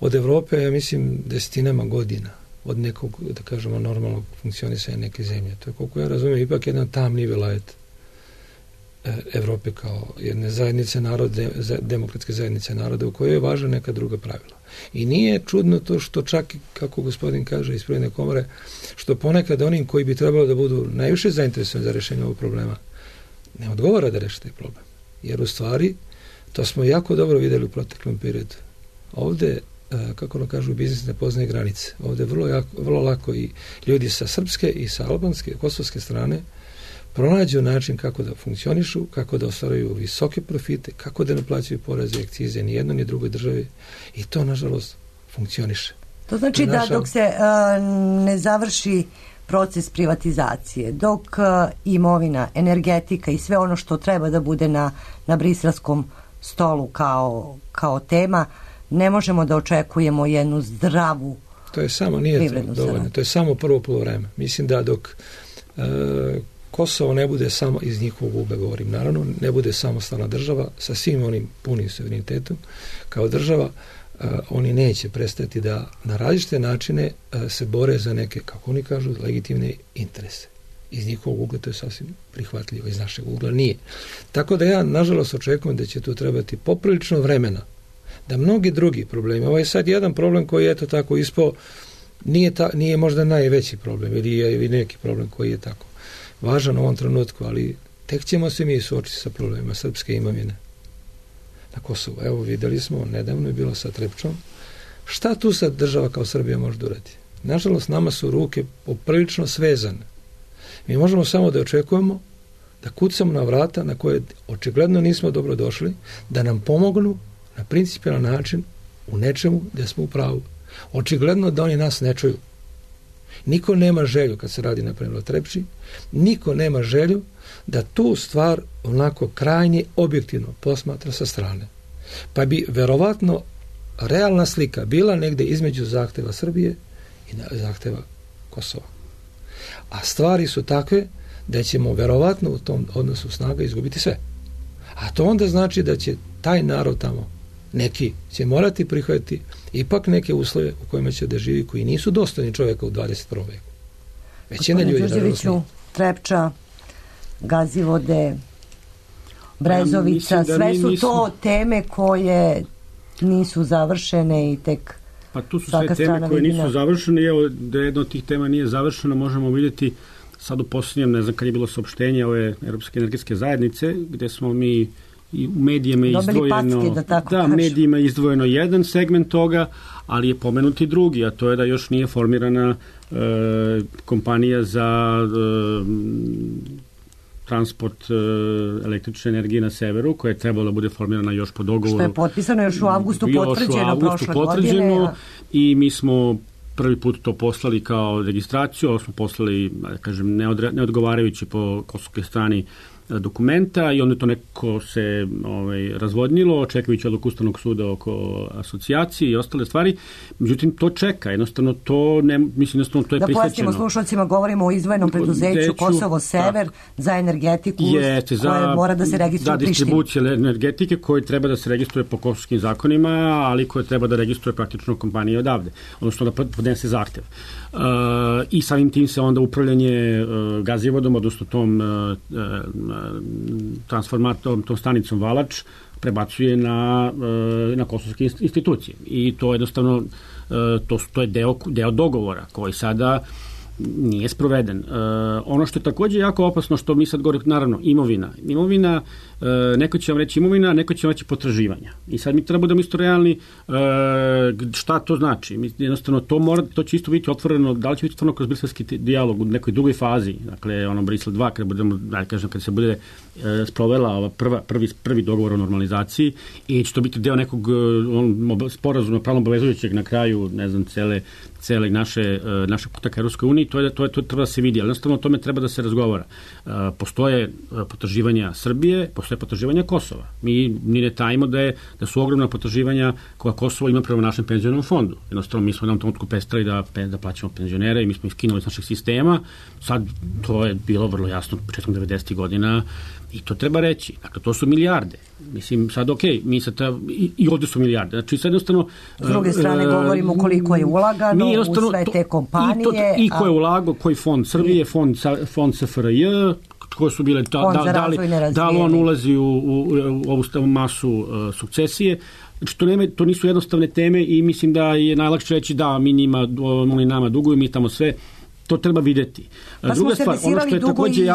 od Evrope, ja mislim, desetinama godina od nekog, da kažemo, normalnog funkcionisanja neke zemlje. To je, koliko ja razumijem, ipak jedan tamni velajet Evrope kao jedne zajednice naroda, demokratske zajednice naroda u kojoj je važna neka druga pravila. I nije čudno to što čak, kako gospodin kaže iz Privredne komore, što ponekad onim koji bi trebalo da budu najviše zainteresovani za rešenje ovog problema, ne odgovara da reši taj problem. Jer u stvari, to smo jako dobro vidjeli u proteklom periodu. Ovdje, kako ono kažu, biznis ne poznaje granice. Ovdje vrlo lako i ljudi sa srpske i sa albanske, kosovske strane pronađu način kako da funkcionišu, kako da ostvaruju visoke profite, kako da ne plaćaju poreze i akcize ni jednoj ni drugoj državi i to, nažalost, funkcioniše. To znači da dok se ne završi proces privatizacije, dok imovina, energetika i sve ono što treba da bude na briselskom stolu kao tema, ne možemo da očekujemo jednu zdravu to je samo, nije dovoljno, to je samo prvo poluvreme. Mislim da dok Kosovo ne bude samo, iz njihovog ugla govorim, naravno, ne bude samostalna država sa svim onim punim suverenitetom kao država, oni neće prestati da na različite načine se bore za neke, kako oni kažu, legitimne interese. Iz njihovog ugla to je sasvim prihvatljivo, iz našeg ugla nije. Tako da ja, nažalost, očekujem da će tu trebati poprilično vremena, da mnogi drugi problemi, ovo je sad jedan problem koji je to tako ispao, nije možda najveći problem ili je neki problem koji je tako važan u ovom trenutku, ali tek ćemo se mi suočiti sa problemima srpske imovine na Kosovu. Evo, videli smo, nedavno je bilo sa Trepčom. Šta tu sad država kao Srbija može da uradi? Nažalost, nama su ruke poprilično svezane. Mi možemo samo da očekujemo da kucamo na vrata na koje očigledno nismo dobro došli, da nam pomognu na principijelan način u nečemu gdje smo u pravu. Očigledno da oni nas ne čuju. Niko nema želju, kad se radi na primjer o Trepči, niko nema želju da tu stvar onako krajnje objektivno posmatra sa strane. Pa bi verovatno realna slika bila negdje između zahteva Srbije i zahteva Kosova. A stvari su takve da ćemo verovatno u tom odnosu snaga izgubiti sve. A to onda znači da će taj narod tamo, neki će morati prihvatiti ipak neke uslove u kojima će da živi koji nisu dostojni čovjeka u 21. veku. Većina ljudi naravno. Trepča, Gazivode, Brezovica, sve su to teme koje nisu završene i tek pa tu su sve teme koje nisu završene i evo da jedna od tih tema nije završena možemo vidjeti sad u posljednjem, ne znam kad je bilo saopštenje ove Europske energetske zajednice gdje smo mi i u medijima je Dobili izdvojeno, packe, da tako kažem. medijima je izdvojeno jedan segment toga, ali je pomenuti drugi, a to je da još nije formirana kompanija za transport električne energije na severu, koja je trebala da bude formirana još po dogovoru. Što je potpisano još u avgustu, potvrđeno prošle godine. I mi smo prvi put to poslali kao registraciju, ovo smo poslali, da kažem, neodgovarajući po kosovskoj strani dokumenta i onda to neko se razvodnilo, očekujući odluku Ustavnog suda oko asocijacije i ostale stvari. Međutim, to čeka. Jednostavno, to je prihvaćeno. Da pojasnimo slušalcima, govorimo o izdvojenom preduzeću Kosovo Sever za energetiku koje mora da se registruje u Prištini. Distribucija energetike koje treba da se registruje po kosovskim zakonima, ali koje treba da registruje praktično kompanija odavde. Odnosno da podnese zahtev. I samim tim se onda upravljanje gazivodom, odnosno tom transformatom, tom stanicom Valač prebacuje na kosovske institucije. I to jednostavno to je deo dogovora koji sada nije sproveden. Ono što je također jako opasno, što mi sad govorimo, naravno, imovina, neko će vam reći imovina, neko će vam reći potraživanja. I sad mi treba budemo isto realni šta to znači. Jednostavno, to će isto biti otvoreno, da li će biti otvoreno kroz briselski dijalog u nekoj drugoj fazi, dakle, Brisel 2, kada se bude sprovela ova prvi dogovor o normalizaciji i će to biti deo nekog sporazuma pravno obavezujućeg na kraju, ne znam, cele naše puta ka Europskoj uniji, to treba da se vidi, ali jednostavno o tome treba da se razgovara. Postoje potraživanja Srbije, postoje potraživanja Kosova. Mi ne tajimo da su ogromna potraživanja koja Kosovo ima prema našem penzionom fondu. Jednostavno, mi smo u jednom trenutku prestali da plaćamo penzionere i mi smo iskinuli iz našeg sistema. Sad, to je bilo vrlo jasno početkom 90. godina i to treba reći. Dakle, to su milijarde. Mislim, sad mi sad i ovdje su milijarde. Znači, sad jednostavno... S druge strane, govorimo koliko je ulagano u sve te kompanije. I ko je ulagao, koji fond Srbije, fond SFRJ, koje su bile, da li on ulazi u ovu masu sukcesije. Znači, to nisu jednostavne teme i mislim da je najlakše reći da oni nama duguju, mi tamo sve. To treba vidjeti. Pa smo servisirali dugo i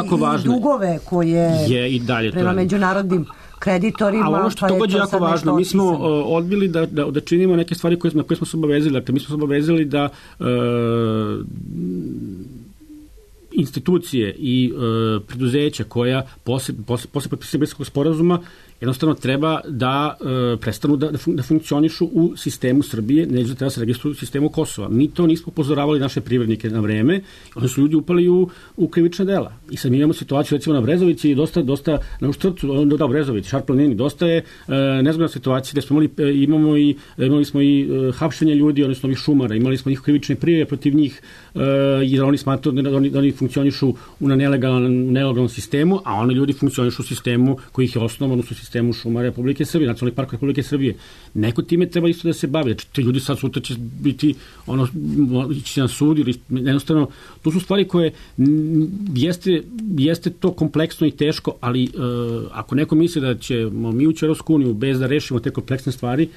dugove koje je i dalje prema međunarodnim kreditorima. A ono što također je jako važno, mi smo odbili da činimo neke stvari na koje smo se obavezali. Dakle, mi smo se obavezali da institucije i preduzeća koja posle potpisivanja Briselskog sporazuma jednostavno treba da prestanu da funkcionišu u sistemu Srbije, neće da treba se registruju u sistemu Kosova. Mi to nismo upozoravali naše privrednike na vreme, onda su ljudi upali u krivična dela. I sad mi imamo situaciju, recimo na Brezovici, dosta na Uštrcu, onda Brezovici, Šarplanini, dosta je nezgodna situacija gde smo imali smo i hapšenje ljudi, odnosno ovih šumara, imali smo ih krivične prijave protiv njih, jer oni smatruju da oni funkcionišu u nelegalnom sistemu, a oni ljudi funkcionišu u sistemu koji ih je osnovan, u sistemu šuma Republike Srbije, Nacionalnih parka Republike Srbije. Neko time treba isto da se bavi. Znači, ti ljudi sad sutra će biti ići na sud ili jednostavno, to su stvari koje jeste to kompleksno i teško, ali ako neko misli da ćemo mi ući u Europsku uniju bez da rešimo te kompleksne stvari,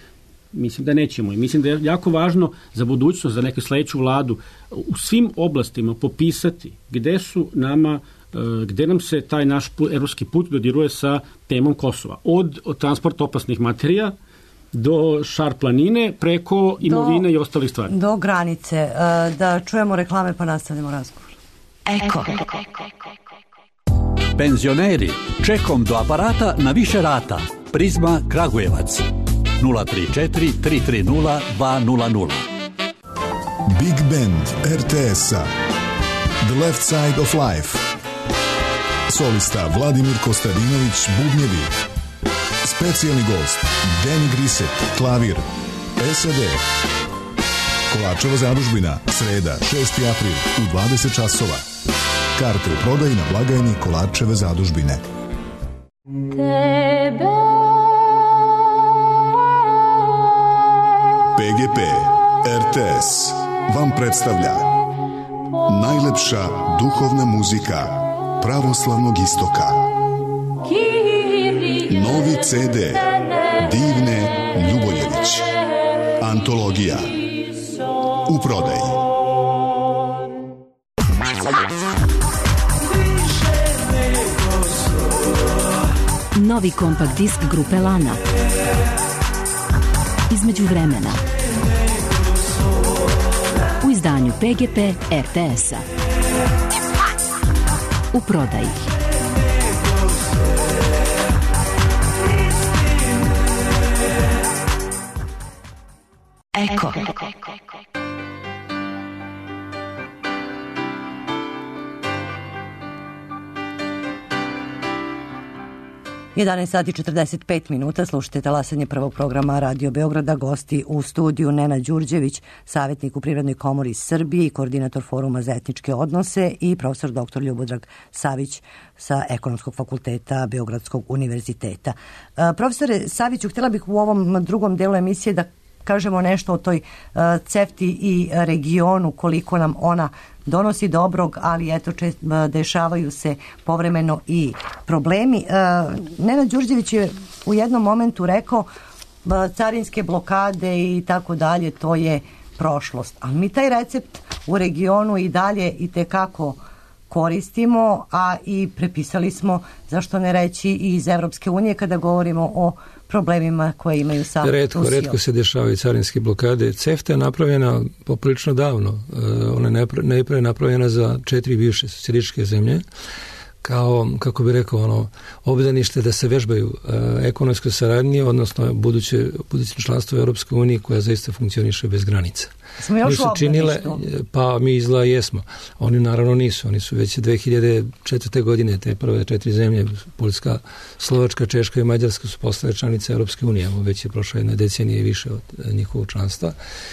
mislim da nećemo. I mislim da je jako važno za budućnost, za neku sledeću vladu, u svim oblastima popisati gde nam se taj naš evropski put dodiruje sa temom Kosova. Od transporta opasnih materija do Šar-planine, preko imovine i ostalih stvari. Do granice. Da čujemo reklame pa nastavljamo razgovor. Eko. Penzioneri, čekom do aparata na više rata. Prizma Kragujevac. 034 330 200. Big Band RTS-a The Left Side of Life. Solista Vladimir Kostadinović, bubnjevi. Specijalni gost Danny Grisek, klavir. SAD. Kolačeva zadužbina, sreda, 6. april u 20 časova. Karte u prodaji na blagajni Kolačeve zadužbine. PGP RTS vam predstavlja najlepša duhovna muzika pravoslavnog istoka. Novi CD Divne Ljuboljević. Antologija. U prodaji. Novi kompakt disk grupe Lana. Između vremena. U izdanju PGP RTS-a. U prodaji. Eko. 11 sati 45 minuta, slušajte talasanje prvog programa Radio Beograda, gosti u studiju Nenad Đurđević, savjetnik u Privrednoj komori Srbije i koordinator Foruma za etničke odnose i profesor dr. Ljubodrag Savić sa Ekonomskog fakulteta Beogradskog univerziteta. Profesore Saviću, htjela bih u ovom drugom delu emisije da kažemo nešto o toj CEFTA-i i regionu, koliko nam ona donosi dobrog, ali eto dešavaju se povremeno i problemi. Nenad Đurđević je u jednom momentu rekao carinske blokade i tako dalje, to je prošlost. Ali mi taj recept u regionu i dalje i tekako koristimo, a i prepisali smo, zašto ne reći, i iz Evropske unije kada govorimo o problemima koje imaju sa Rusijom. Retko se dešavaju carinske blokade. CEFTA je napravljena poprilično davno. Ona je najprije napravljena za 4 bivše socijalističke zemlje kao, kako bi rekao, obdanište da se vežbaju ekonomske saradnje, odnosno buduće članstvo u Europskoj uniji koja zaista funkcioniše bez granica. Smo još u obdaništu? Pa mi izgleda jesmo. Oni naravno nisu. Oni su već 2004. godine te prve 4 zemlje, Poljska, Slovačka, Češka i Mađarska su postale članice Europske unije. Već je prošla jedna decenija i više od njihovog članstva.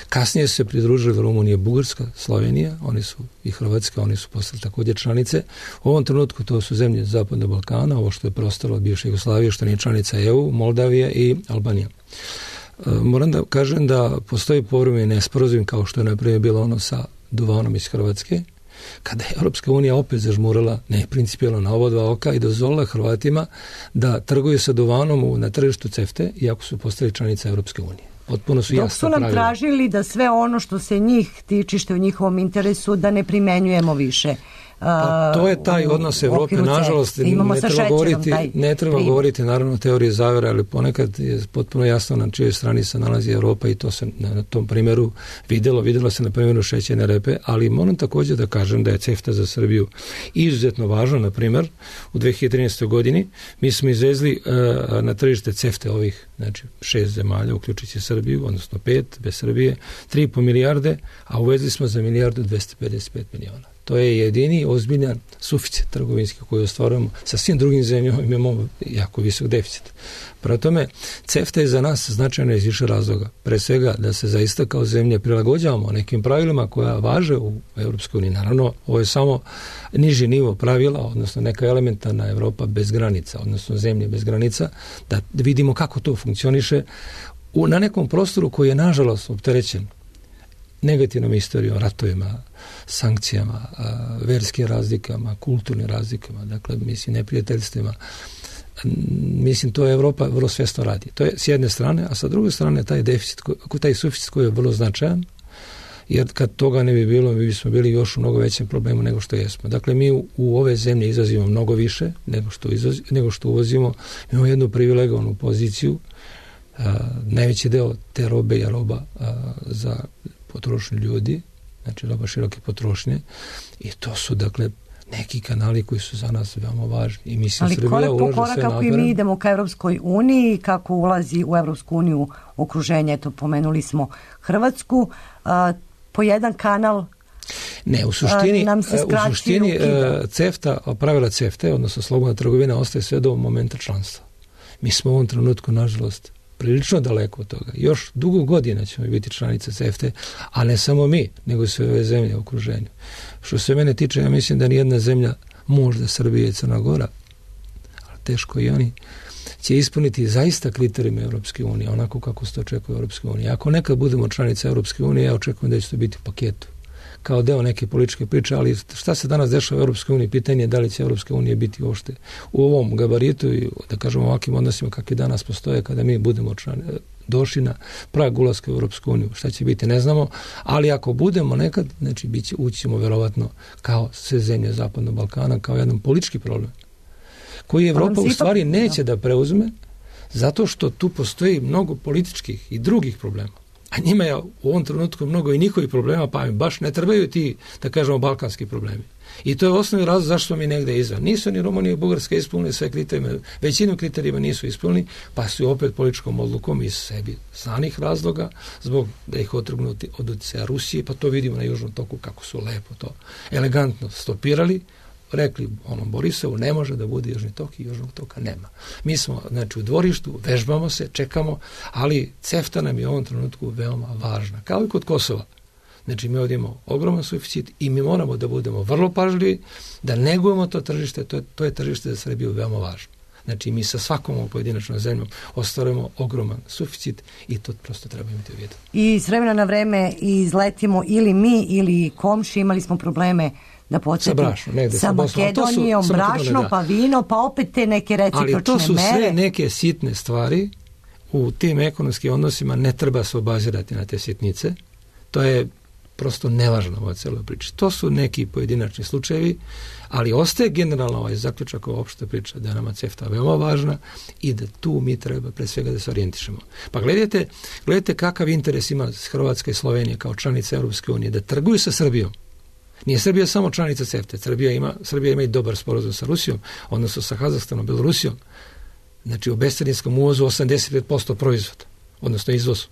Kasnije su se pridružili Rumunija, Bugarska, Slovenija, oni su i Hrvatska, oni su postali također članice. U ovom trenutku to su zemlje Zapadnog Balkana, ovo što je preostalo od bivše Jugoslavije, što nije članica EU, Moldavija i Albanija. Moram da kažem da postoji povremeni nesporazum, kao što je naprimjer bilo ono sa duvanom iz Hrvatske, kada je Europska unija opet zažmurala neprincipijelno na oba dva oka i dozvolila Hrvatima da trguju sa duvanom na tržištu CEFTA, iako su postali članica Europske unije. Potpuno su jasno dok su nam tražili da sve ono što se njih tiči, što je u njihovom interesu, da ne primenjujemo više. Pa to je taj odnos Evrope, nažalost, ne treba govoriti naravno o teoriji zavere, ali ponekad je potpuno jasno na čijoj strani se nalazi Evropa i to se na tom primjeru vidjelo se na primjeru šećerne repe, ali moram također da kažem da je CEFTA za Srbiju izuzetno važno. Na primjer, u 2013. godini mi smo izvezli na tržište CEFTA ovih, znači 6 zemalja, uključujući Srbiju, odnosno 5 bez Srbije, 3,5 milijarde, a uvezli smo za 1,255 miliona. To je jedini ozbiljan suficit trgovinski koji ostvarujemo. Sa svim drugim zemljama imamo jako visok deficit. Prema tome, CEFTA je za nas značajno iz više razloga. Pre svega da se zaista kao zemlje prilagođavamo nekim pravilima koja važe u Europskoj uniji. Naravno, ovo je samo niži nivo pravila, odnosno neka elementarna Evropa bez granica, odnosno zemlje bez granica, da vidimo kako to funkcioniše na nekom prostoru koji je nažalost opterećen negativnom istorijom, ratovima, sankcijama, verskim razlikama, kulturnim razlikama, dakle, neprijateljstvima. To je Evropa vrlo svjesno radi. To je s jedne strane, a sa druge strane taj suficit koji je vrlo značajan, jer kad toga ne bi bilo, mi bismo bili još u mnogo većem problemu nego što jesmo. Dakle, mi u ove zemlje izvozimo mnogo više nego što uvozimo. Imamo jednu privilegovanu poziciju. Najveći deo te robe je roba za potrošnju ljudi, znači roba široke potrošnje, i to su dakle neki kanali koji su za nas veoma važni. I mislim, ali korak po korak kako i mi idemo ka Evropskoj uniji, kako ulazi u Evropsku uniju okruženje, eto pomenuli smo Hrvatsku, po jedan kanal ne, u suštini CEFTA, pravila CEFTA, odnosno slobodna trgovina, ostaje sve do momenta članstva. Mi smo u ovom trenutku, nažalost, prilično daleko od toga. Još dugo godina ćemo biti članice CEFTA, a ne samo mi, nego sve ove zemlje u okruženju. Što se mene tiče, ja mislim da nijedna zemlja, možda Srbija i Crna Gora, ali teško i oni, će ispuniti zaista kriterijima Europske unije, onako kako se to očekuje Europske unije. Ako nekad budemo članice Europske unije, ja očekujem da će to biti u paketu, kao deo neke političke priče, ali šta se danas dešava u Europskoj uniji, pitanje je da li će Europska unija biti uopšte u ovom gabaritu i, da kažemo, ovakvim odnosima kakvi danas postoje kada mi budemo došli na prag ulaska u Europsku uniju. Šta će biti, ne znamo, ali ako budemo nekad, znači ući ćemo verovatno kao sve zemlje Zapadnog Balkana, kao jedan politički problem. koji Evropa u stvari neće da preuzme, zato što tu postoji mnogo političkih i drugih problema. A njima je u ovom trenutku mnogo i njihovih problema, pa im baš ne trebaju ti, da kažemo, balkanski problemi. I to je osnovni razlog zašto smo mi negde izvan. Nisu ni Rumunija i Bugarska ispunili sve kriterijima, većinu kriterijima nisu ispunili, pa su opet političkom odlukom iz sebi znanih razloga, zbog da ih otrgnuti od utjecaja Rusije, pa to vidimo na Južnom toku kako su lepo to elegantno stopirali, rekli onom Borisovu ne može da bude Južni tok i Južnog toka nema. Mi smo, znači, u dvorištu, vežbamo se, čekamo, ali CEFTA nam je u ovom trenutku veoma važna. Kao i kod Kosova. Znači, mi ovdje imamo ogroman suficit i mi moramo da budemo vrlo pažljivi, da negujemo to tržište, to je tržište za Srbiju veoma važno. Znači, mi sa svakom pojedinačnom zemljom ostvarujemo ogroman suficit i to prosto treba imati u vidu. I s vremena na vreme izletimo ili mi ili komši, imali smo probleme da podsjetim sa Makedonijom, brašno, pa vino, pa opet te neke recipročne mere. Ali to su sve neke sitne stvari. U tim ekonomskim odnosima ne treba se obazirati na te sitnice. To je prosto nevažno u celoj priči. To su neki pojedinačni slučajevi, ali ostaje generalno ovaj zaključak, ova opšta priča da je nama CEFTA veoma važna i da tu mi treba pre svega da se orijentišemo. Pa gledajte kakav interes ima Hrvatska i Slovenija kao članica Europske unije da trguju sa Srbijom. Nije Srbija samo članica CEFTA, Srbija ima i dobar sporazum sa Rusijom, odnosno sa Kazahstanom, Belorusijom. Znači u bescarinskom uvozu 85% proizvoda, odnosno izvozu.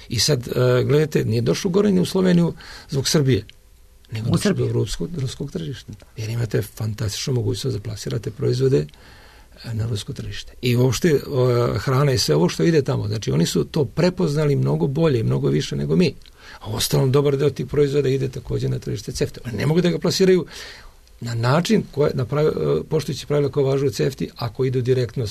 I sad, gledajte, nije došlo gore ni u Sloveniju zbog Srbije, nego došlo do ruskog tržišta. Jer imate fantastičnu mogućnost da plasirate proizvode na rusko tržište. I uopšte hrana i sve ovo što ide tamo. Znači, oni su to prepoznali mnogo bolje i mnogo više nego mi. A ostalom, dobar deo tih proizvoda ide također na tržište CEFTA. Oni ne mogu da ga plasiraju na način poštujući pravila koje važu u CEFTI ako idu direktno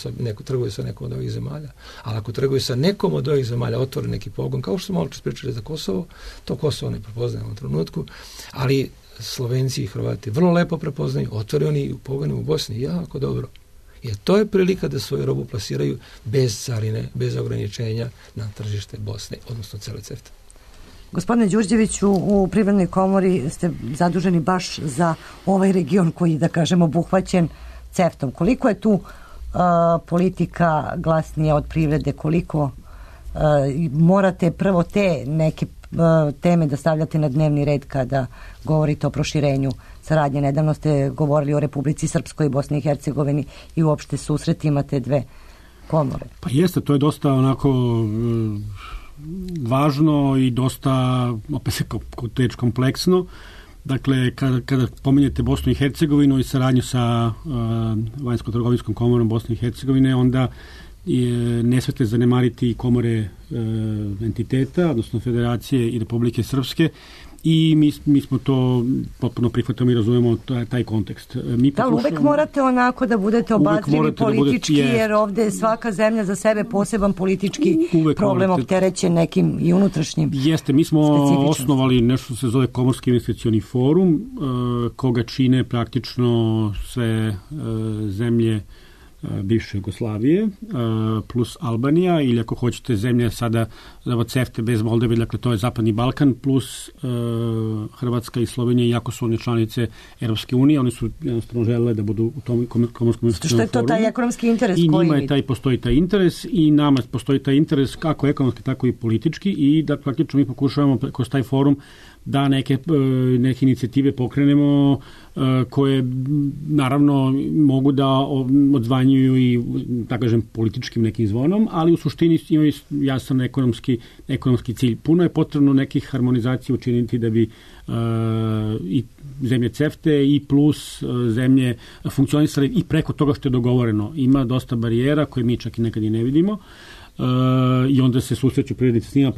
trguju sa nekom od ovih zemalja. Ali ako trguju sa nekom od ovih zemalja, otvore neki pogon, kao što smo malo čas pričali za Kosovo, to Kosovo ne prepoznaje u ovom trenutku, ali Slovenci i Hrvati vrlo lepo prepoznaju, otvore oni u pogonu u Bosni jako dobro. Jer to je prilika da svoju robu plasiraju bez carine, bez ograničenja na tržište Bosne, odnosno cele CEFTA. Gospodine Đurđeviću, u Privrednoj komori ste zaduženi baš za ovaj region koji, da kažemo, obuhvaćen CEFTA-om. Koliko je tu politika glasnija od privrede? Koliko morate prvo te neke teme da stavljate na dnevni red kada govorite o proširenju saradnje? Nedavno ste govorili o Republici Srpskoj i Bosni i Hercegovini i uopšte susretima te dve komore. Pa jeste, to je dosta onako važno i dosta opet se kompleksno. Dakle, kada pominjete Bosnu i Hercegovinu i saradnju sa Vanjsko-trgovinskom komorom Bosne i Hercegovine, onda ne smete zanemariti komore entiteta, odnosno Federacije i Republike Srpske, i mi smo to potpuno prihvatamo i razumemo taj kontekst. Da, uvek morate onako da budete obazrivi politički, jer ovde je svaka zemlja za sebe poseban politički problem opterećen nekim i unutrašnjim. Jeste, mi smo osnovali nešto što se zove Komorski investicioni forum, koga čine praktično sve zemlje bivše Jugoslavije plus Albanija, ili ako hoćete zemlje sada CEFTA bez Moldave, dakle to je Zapadni Balkan plus Hrvatska i Slovenija, iako su one članice Europske unije, oni su jednostavno želele da budu u tom Komorskom investicionom forumu. Što je to taj ekonomski interes? I njima je postoji taj interes i nama postoji taj interes kako ekonomski, tako i politički, i da praktično mi pokušavamo kroz taj forum da neke inicijative pokrenemo koje naravno mogu da odzvanjuju i, da kažem, političkim nekim zvonom, ali u suštini imaju jasan ekonomski cilj. Puno je potrebno nekih harmonizacija učiniti da bi i zemlje CEFTA i plus zemlje funkcionisale i preko toga što je dogovoreno. Ima dosta barijera koje mi čak i nekad i ne vidimo. I onda se susreću privrednici s njima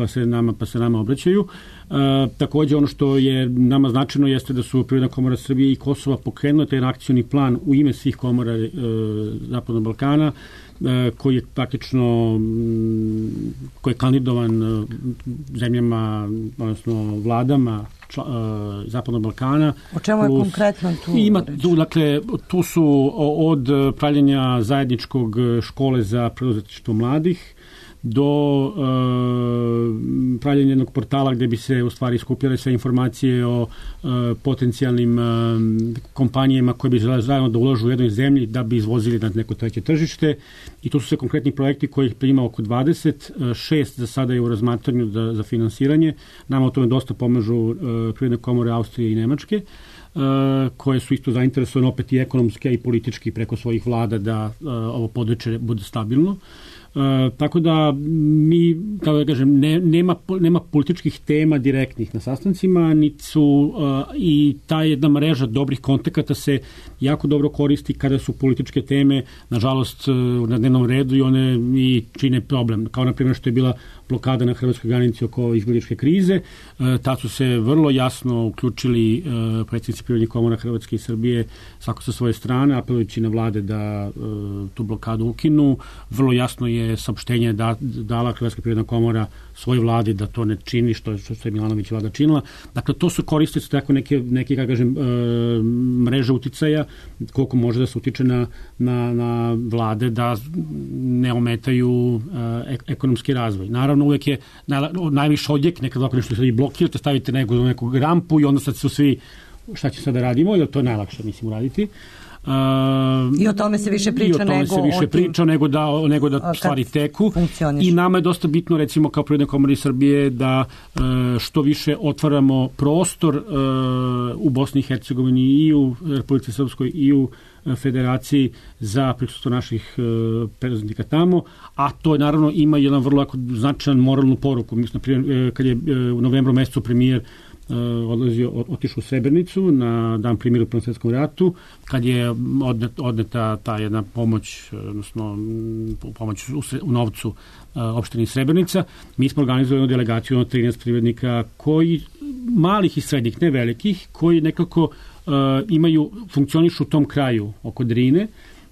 pa se nama obraćaju. Također ono što je nama značajno jeste da su Privredna komora Srbije i Kosova pokrenula taj akcioni plan u ime svih komora Zapadnog Balkana, koji je praktično koji je kandidovan zemljama, odnosno vladama Zapadnog Balkana. O čemu je konkretno tu? Dakle, tu su od pravljenja zajedničkog škole za preduzetništvo mladih do pravljenje jednog portala gde bi se u stvari skupljale sve informacije o potencijalnim kompanijama koje bi žele zajedno da uložu u jednoj zemlji da bi izvozili na neko treće tržište. I tu su se konkretni projekti kojih ima oko 20, 6 za sada je u razmatranju za finansiranje. Nama o tome dosta pomažu Privredne komore Austrije i Nemačke, koje su isto zainteresovane opet i ekonomski i politički preko svojih vlada da ovo područje bude stabilno. Tako da mi, kao da kažem, nema političkih tema direktnih na sastancima, niti su i ta jedna mreža dobrih kontakata se jako dobro koristi kada su političke teme, nažalost, na dnevnom redu i one i čine problem. Kao na primjer što je bila blokada na hrvatskoj granici oko izbjegličke krize, tad su se vrlo jasno uključili predsjednici Privrednih komora Hrvatske i Srbije svako sa svoje strane, apelujući na vlade da tu blokadu ukinu. Vrlo jasno je saopštenje dala Hrvatska privredna komora svoj vladi da to ne čini što je Milanović vlada činila. Dakle, to su koriste tako neke kako kažem, mreže uticaja koliko može da se utiče na vlade da ne ometaju ekonomski razvoj. Naravno, uvek je najviše odjek, nekad ovako nešto se blokirate, stavite neku rampu i onda sad su svi šta će sad da radimo, jer to je najlakše, mislim, uraditi. I o tome se više priča nego da stvari teku. I nama je dosta bitno, recimo, kao Privredne komore Srbije, da što više otvaramo prostor u Bosni i Hercegovini i u Republici Srpskoj i u Federaciji za prisustvo naših preduzetnika tamo, a to naravno ima jedan vrlo značajan moralnu poruku. Mislim, kad je u novembru mesecu premijer otišao u Srebrenicu na dan primjera u Prvom svjetskom ratu, kad je odneta ta jedna pomoć, odnosno pomoć u novcu opštini Srebrenica, mi smo organizovali delegaciju od 13 privrednika koji, malih i srednjih, ne velikih, koji nekako funkcionišu u tom kraju oko Drine,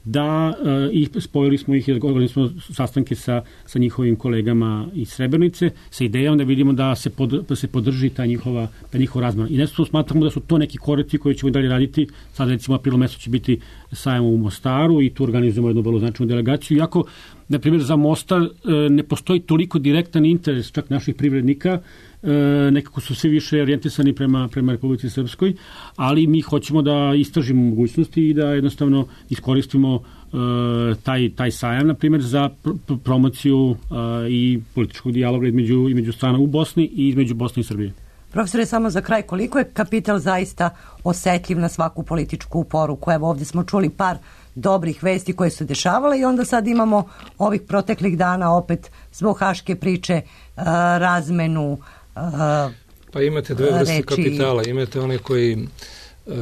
da i spojili smo ih i odgovorili smo sastanke sa njihovim kolegama iz Srebrenice sa idejom da vidimo da se podrži ta njihova razmjena. I nešto smatramo da su to neki koraci koji ćemo dalje raditi. Sad recimo aprilu mesecu će biti sajam u Mostaru i tu organizujemo jednu vrlo značajnu delegaciju. Iako, na primjer, za Mostar ne postoji toliko direktan interes čak naših privrednika, nekako su svi više orijentisani prema Republici Srpskoj, ali mi hoćemo da istražimo mogućnosti i da jednostavno iskoristimo taj sajam, na primjer, za promociju i političkog dijaloga između strana u Bosni i između Bosne i Srbije. Profesore, samo za kraj, koliko je kapital zaista osetljiv na svaku političku poruku? Evo, ovdje smo čuli par dobrih vesti koje su dešavale i onda sad imamo ovih proteklih dana opet zbog haške priče razmenu pa imate dve vrste kapitala. Imate one koji,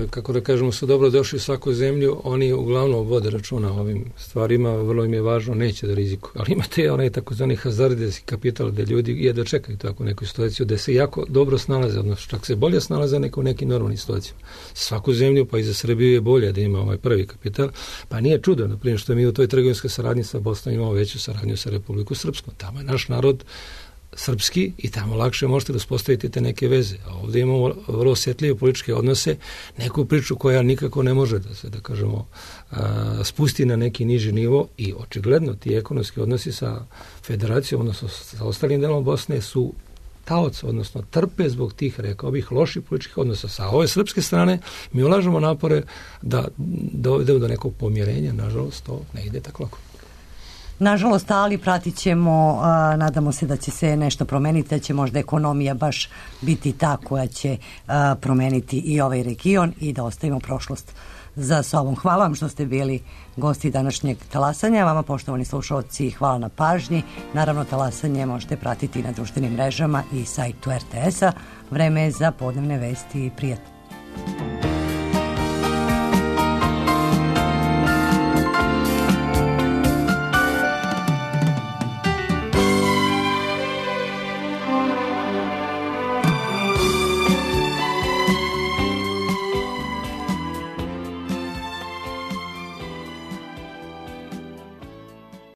kako da kažemo, su dobro došli u svaku zemlju, oni uglavnom vode računa o ovim stvarima, vrlo im je važno, neće da rizikuju. Ali imate onaj takozvani hazardijski kapital gde ljudi jedva čekaju takvu neku situaciju, gde se jako dobro snalaze, odnosno čak se bolje snalaze nego u nekim normalnim situacijama. Svaku zemlju, pa i za Srbiju je bolje da ima ovaj prvi kapital, pa nije čudo, na primjer, što mi u toj trgovinskoj saradnji sa Bosnom imamo veću saradnju sa Republikom Srpskom. Tamo je naš narod srpski i tamo lakše možete da uspostavite te neke veze. A ovdje imamo vrlo osjetljive političke odnose, neku priču koja nikako ne može da se, da kažemo, spusti na neki niži nivo i očigledno ti ekonomski odnosi sa federacijom, odnosno sa ostalim delom Bosne su taoc, odnosno trpe zbog tih, rekao bih, loših političkih odnosa. Sa ove srpske strane mi ulažemo napore da dovedemo do nekog pomjerenja, nažalost to ne ide tako lako. Nažalost, ali pratit ćemo, nadamo se da će se nešto promeniti, da će možda ekonomija baš biti ta koja će promeniti i ovaj region i da ostavimo prošlost za sobom. Hvala vam što ste bili gosti današnjeg talasanja. Vama, poštovani slušalci, hvala na pažnji. Naravno, talasanje možete pratiti na društvenim mrežama i sajtu RTS-a. Vreme je za podnevne vesti i prijatno.